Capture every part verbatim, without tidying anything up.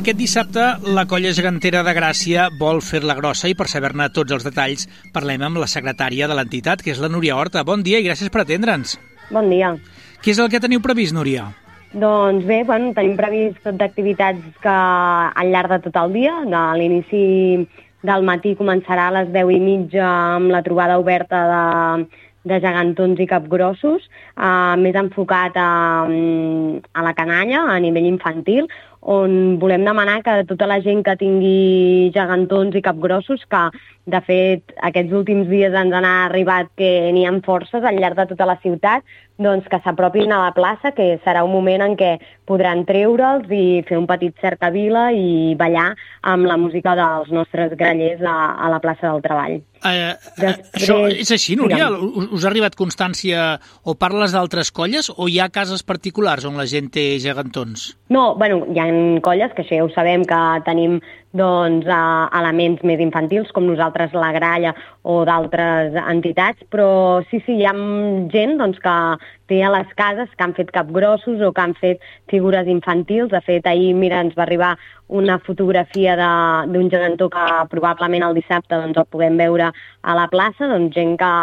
Aquest dissabte la colla gegantera de Gràcia vol fer-la grossa i per saber-ne tots els detalls parlem amb la secretària de l'entitat, que és la Núria Horta. Bon dia i gràcies per atendre'ns. Bon dia. Què és el que teniu previst, Núria? Doncs bé, bueno, tenim previst tot d'activitats que al llarg de tot el dia. A l'inici del matí començarà a les deu i mitja amb la trobada oberta de, de gegantons i capgrossos, eh, més enfocat a, a la canalla, a nivell infantil, on volem demanar que tota la gent que tingui gegantons i capgrossos, que de fet aquests últims dies ens han arribat que n'hi ha forces al llarg de tota la ciutat, doncs que s'apropin a la plaça, que serà un moment en què podran treure'ls i fer un petit cercavila i ballar amb la música dels nostres grallers a, a la plaça del Treball. Uh, Després, això és així, Núria? Us, us ha arribat constància o parles d'altres colles o hi ha cases particulars on la gent té gegantons? No, bueno, hi ha colles, que això ja ho sabem, que tenim doncs, uh, elements més infantils, com nosaltres la Gralla o d'altres entitats, però sí, sí, hi ha gent doncs, que té a les cases que han fet capgrossos o que han fet figures infantils. De fet, ahir, mira, ens va arribar una fotografia d'un gegantó que probablement el dissabte doncs, el podem veure a la plaça, doncs gent que,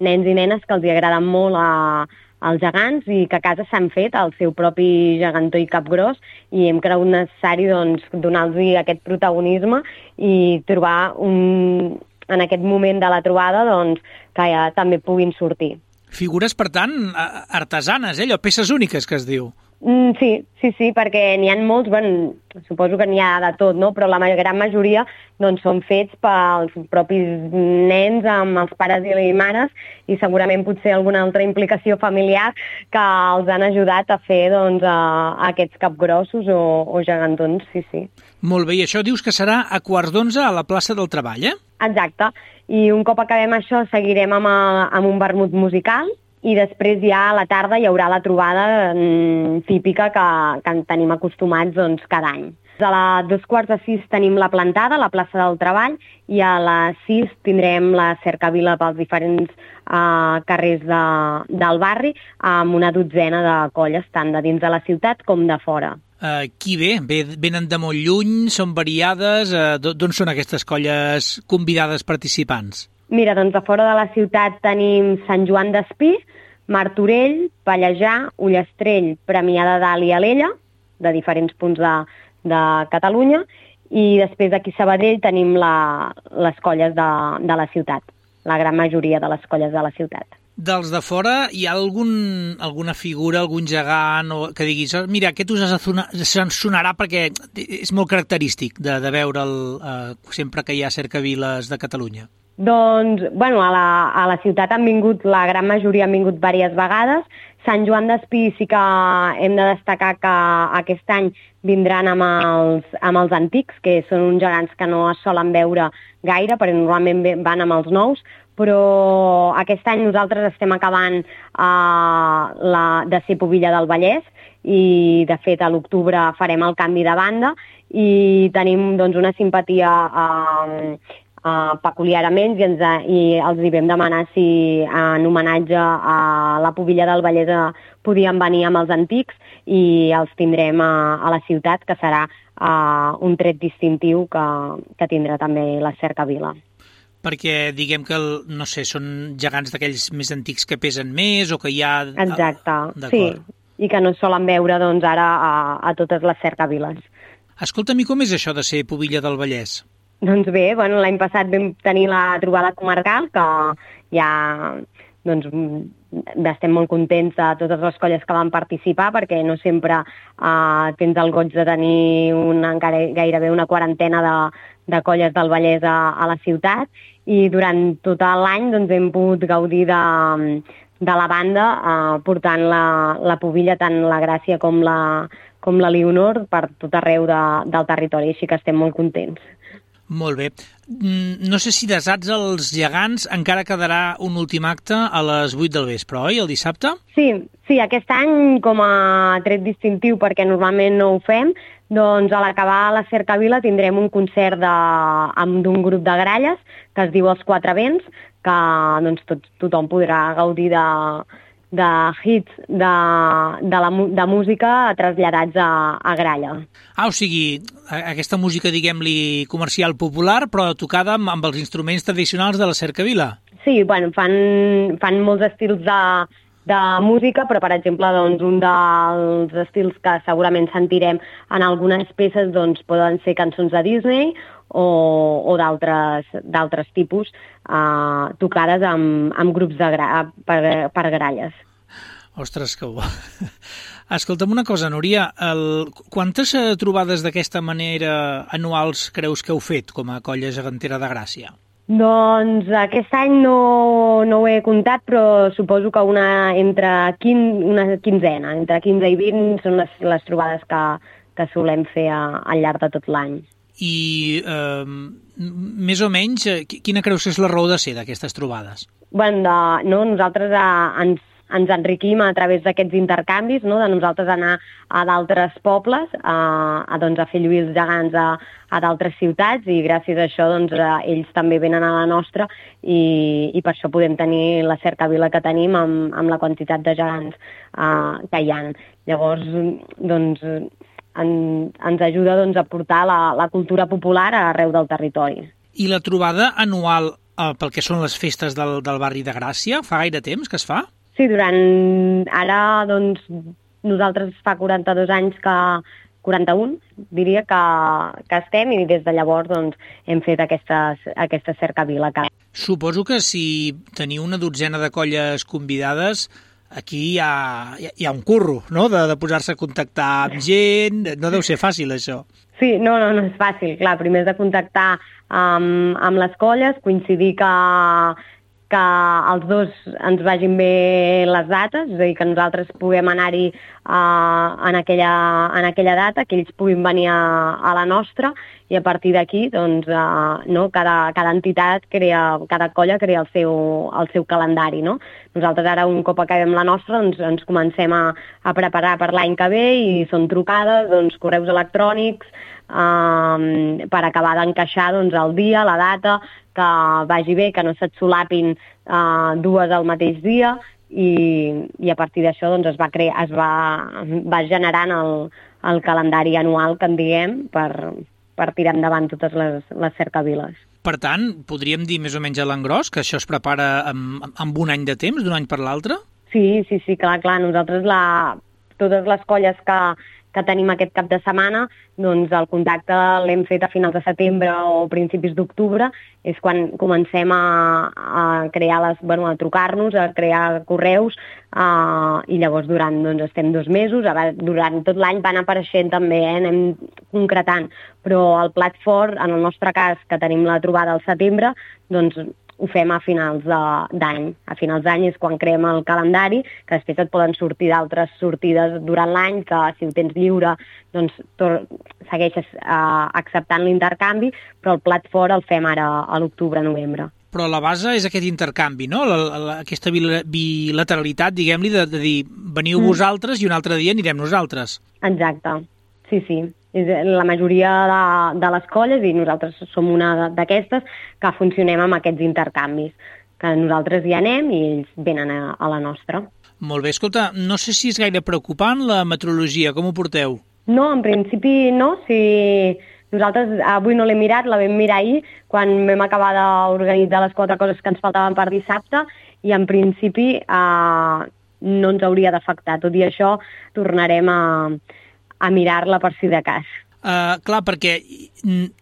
nens i nenes que els agraden molt a, als gegants i que a casa s'han fet el seu propi gegantó i capgros i hem cregut necessari doncs, donar-los aquest protagonisme i trobar un, en aquest moment de la trobada doncs, que ja també puguin sortir. Figures, per tant, artesanes, eh? Allò, peces úniques que es diu. Mm, sí, sí, sí, perquè n'hi ha molts, bueno, suposo que n'hi ha de tot, no? Però la gran majoria doncs, són fets pels propis nens amb els pares i les mares i segurament potser alguna altra implicació familiar que els han ajudat a fer doncs, a, a aquests capgrossos o, o gegantons, sí, sí. Molt bé, i això dius que serà a quarts d'onze a la plaça del Treball, eh? Exacte, i un cop acabem això seguirem amb, a, amb un vermut musical i després ja a la tarda hi haurà la trobada mm, típica que, que en tenim acostumats doncs, cada any. A les dos quarts de sis tenim la plantada a la plaça del Treball i a les sis tindrem la cercavila pels diferents uh, carrers de, del barri amb una dotzena de colles, tant de dins de la ciutat com de fora. Uh, qui ve? ve? Venen de molt lluny? Són variades? Uh, D'on són aquestes colles convidades participants? Mira, doncs a fora de la ciutat tenim Sant Joan d'Espí, Martorell, Pallejà, Ullastrell, Premià de Dalt i Alella, de diferents punts de, de Catalunya, i després aquí a Sabadell tenim la, les colles de, de la ciutat, la gran majoria de les colles de la ciutat. Dels de fora, hi ha algun, alguna figura, algun gegant o que diguis, mira, aquest us sonarà perquè és molt característic de, de veure'l eh, sempre que hi ha cercaviles de Catalunya? Doncs, bueno, a la, a la ciutat han vingut, la gran majoria han vingut diverses vegades. Sant Joan d'Espí sí que hem de destacar que aquest any vindran amb els, amb els antics, que són uns gegants que no es solen veure gaire, perquè normalment van amb els nous, però aquest any nosaltres estem acabant uh, la, de ser Pubilla del Vallès i, de fet, a l'octubre farem el canvi de banda i tenim doncs, una simpatia uh, Uh, peculiar amb ells i, ens, uh, i els hi vam demanar si uh, en homenatge a la Pubilla del Vallès uh, podien venir amb els antics i els tindrem uh, a la ciutat, que serà uh, un tret distintiu que, que tindrà també la cercavila. Perquè diguem que, el, no sé, són gegants d'aquells més antics que pesen més o que hi ha... Exacte, sí, i que no es solen veure doncs, ara a, a totes les cercaviles. Escolta'm, i com és això de ser Pubilla del Vallès? Doncs bé, bueno, l'any passat vam tenir la trobada comarcal, que ja doncs, estem molt contents de totes les colles que van participar, perquè no sempre eh, tens el goig de tenir una, encara gairebé una quarantena de, de colles del Vallès a, a la ciutat, i durant tot l'any doncs, hem pogut gaudir de, de la banda, eh, portant la, la Pubilla, tant la Gràcia com la, com la Leonor, per tot arreu de, del territori, així que estem molt contents. Molt bé. No sé si desats els gegants encara quedarà un últim acte a les vuit del vespre, oi, el dissabte? Sí, sí, aquest any com a tret distintiu, perquè normalment no ho fem, doncs a l'acabar la cercavila tindrem un concert d'un grup de gralles que es diu Els Quatre Vents, que doncs, tot, tothom podrà gaudir de, de hits de, de, la, de música traslladats a, a gralla. Ah, o sigui, aquesta música, diguem-li, comercial popular, però tocada amb, amb els instruments tradicionals de la cercavila. Sí, bueno, fan, fan molts estils de, de música, però, per exemple, doncs, un dels estils que segurament sentirem en algunes peces doncs, poden ser cançons de Disney o, o d'altres tipus, eh, tocades amb, amb grups de gra, per, per gralles. Ostres, que bo. Escolta'm una cosa, Núria, el... quantes trobades d'aquesta manera anuals creus que heu fet com a Colla Gegantera de Gràcia? Doncs aquest any no, no ho he comptat, però suposo que una entre quin, una quinzena, entre quinze i vint són les, les trobades que, que solem fer a, al llarg de tot l'any. I eh, més o menys, quina creus que és la raó de ser d'aquestes trobades? Bueno, de, no, nosaltres a, ens ens enriquim a través d'aquests intercanvis, no? De nosaltres anar a d'altres pobles, a, a, doncs, a fer lluir els gegants a, a d'altres ciutats, i gràcies a això doncs, a, ells també venen a la nostra, i, i per això podem tenir la cercavila que tenim amb, amb la quantitat de gegants uh, que hi ha. Llavors, doncs, en, ens ajuda doncs, a portar la, la cultura popular arreu del territori. I la trobada anual eh, pel que són les festes del, del barri de Gràcia, fa gaire temps que es fa? Sí, durant... Ara, doncs, nosaltres fa quaranta-dos anys que... quaranta-un, diria, que, que estem, i des de llavors doncs, hem fet aquesta, aquesta cercavila. Suposo que si teniu una dotzena de colles convidades, aquí hi ha, hi ha un curro, no?, de, de posar-se a contactar amb gent. No deu ser fàcil, això. Sí, no, no, no és fàcil. Clar, primer és de contactar amb, amb les colles, coincidir que que els dos ens vagin bé les dates, és a dir, que nosaltres puguem anar-hi uh, en, aquella, en aquella data, que ells puguin venir a, a la nostra, i a partir d'aquí, doncs, uh, no, cada, cada entitat crea, cada colla crea el seu, el seu calendari, no? Nosaltres ara, un cop acabem la nostra, doncs, ens comencem a, a preparar per l'any que ve, i són trucades, doncs, correus electrònics, Um, per acabar d'encaixar doncs, el dia, la data, que vagi bé, que no se't solapin uh, dues al mateix dia, i, i a partir d'això doncs, es va crear, es va, va generant el, el calendari anual, que en diguem, per, per tirar endavant totes les, les cercaviles. Per tant, podríem dir més o menys a l'engròs que això es prepara amb, amb un any de temps, d'un any per l'altre? Sí, sí, sí, clar, clar. Nosaltres, la, totes les colles que que tenim aquest cap de setmana, doncs el contacte l'hem fet a finals de setembre o principis d'octubre, és quan comencem a, a crear les, bueno, a trucar-nos, a crear correus, uh, i llavors durant, doncs, estem dos mesos, durant tot l'any van apareixent també, eh, anem concretant, però el plat fort, en el nostre cas, que tenim la trobada al setembre, doncs ho fem a finals d'any. A finals d'any és quan creem el calendari, que després et poden sortir d'altres sortides durant l'any, que si ho tens lliure, doncs segueixes uh, acceptant l'intercanvi, però el plat fort el fem ara a l'octubre-novembre. Però la base és aquest intercanvi, no? La, la, aquesta bilateralitat, diguem-li, de, de dir, veniu mm. vosaltres i un altre dia anirem nosaltres. Exacte, sí, sí. La majoria de, de les colles, i nosaltres som una d'aquestes, que funcionem amb aquests intercanvis, que nosaltres hi anem i ells venen a, a la nostra. Molt bé, escolta, no sé si és gaire preocupant la meteorologia, com ho porteu? No, en principi no, si nosaltres avui no l'hem mirat, la vam mirar ahir, quan vam acabar d'organitzar les quatre coses que ens faltaven per dissabte, i en principi eh, no ens hauria d'afectar. Tot i això, tornarem a... a mirar-la per si de cas. Uh, clar, perquè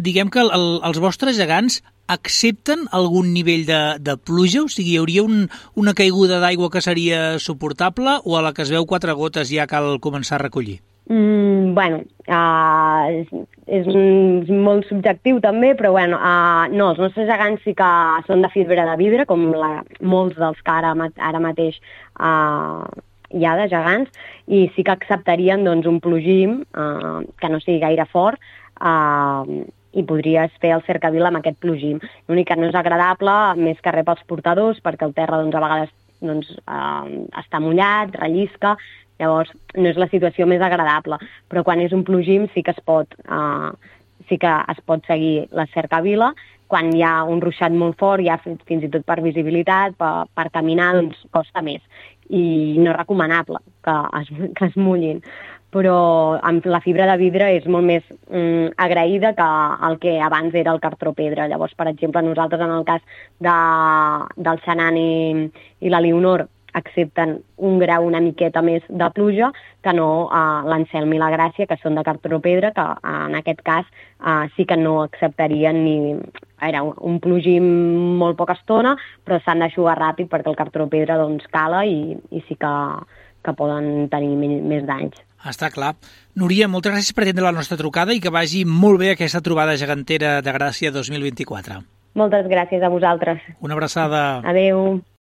diguem que el, el, els vostres gegants accepten algun nivell de, de pluja? O sigui, hi hauria un, una caiguda d'aigua que seria suportable, o a la que es veu quatre gotes ja cal començar a recollir? Mm, bueno, uh, és, és, és molt subjectiu també, però bueno, uh, no, els nostres gegants sí que són de fibra de vidre, com la, molts dels que ara, ara mateix uh, hi ha de gegants, i sí que acceptarien doncs, un plogim eh, que no sigui gaire fort, eh, i podries fer el cercavila amb aquest plogim. L'únic que no és agradable, més que res pels portadors, perquè el terra doncs, a vegades doncs, eh, està mullat, rellisca, llavors no és la situació més agradable, però quan és un plogim sí que es pot, eh, sí que es pot seguir la cercavila, quan hi ha un ruixat molt fort, ja fins i tot per visibilitat, per, per caminar, doncs costa més. I no és recomanable que es, que es mullin. Però amb la fibra de vidre és molt més mm, agraïda que el que abans era el cartró pedra. Llavors, per exemple, nosaltres en el cas de, del Xanan i, i la Leonor accepten un grau una miqueta més de pluja que no eh, l'Anselm i la Gràcia, que són de cartró pedra, que en aquest cas eh, sí que no acceptarien ni... Era un, un plogí molt poca estona, però s'han d'eixugar ràpid perquè el cartró pedra doncs, cala i, i sí que, que poden tenir més, més danys. Està clar. Núria, moltes gràcies per atendre la nostra trucada i que vagi molt bé aquesta trobada gegantera de Gràcia dos mil vint-i-quatre. Moltes gràcies a vosaltres. Una abraçada. Adéu.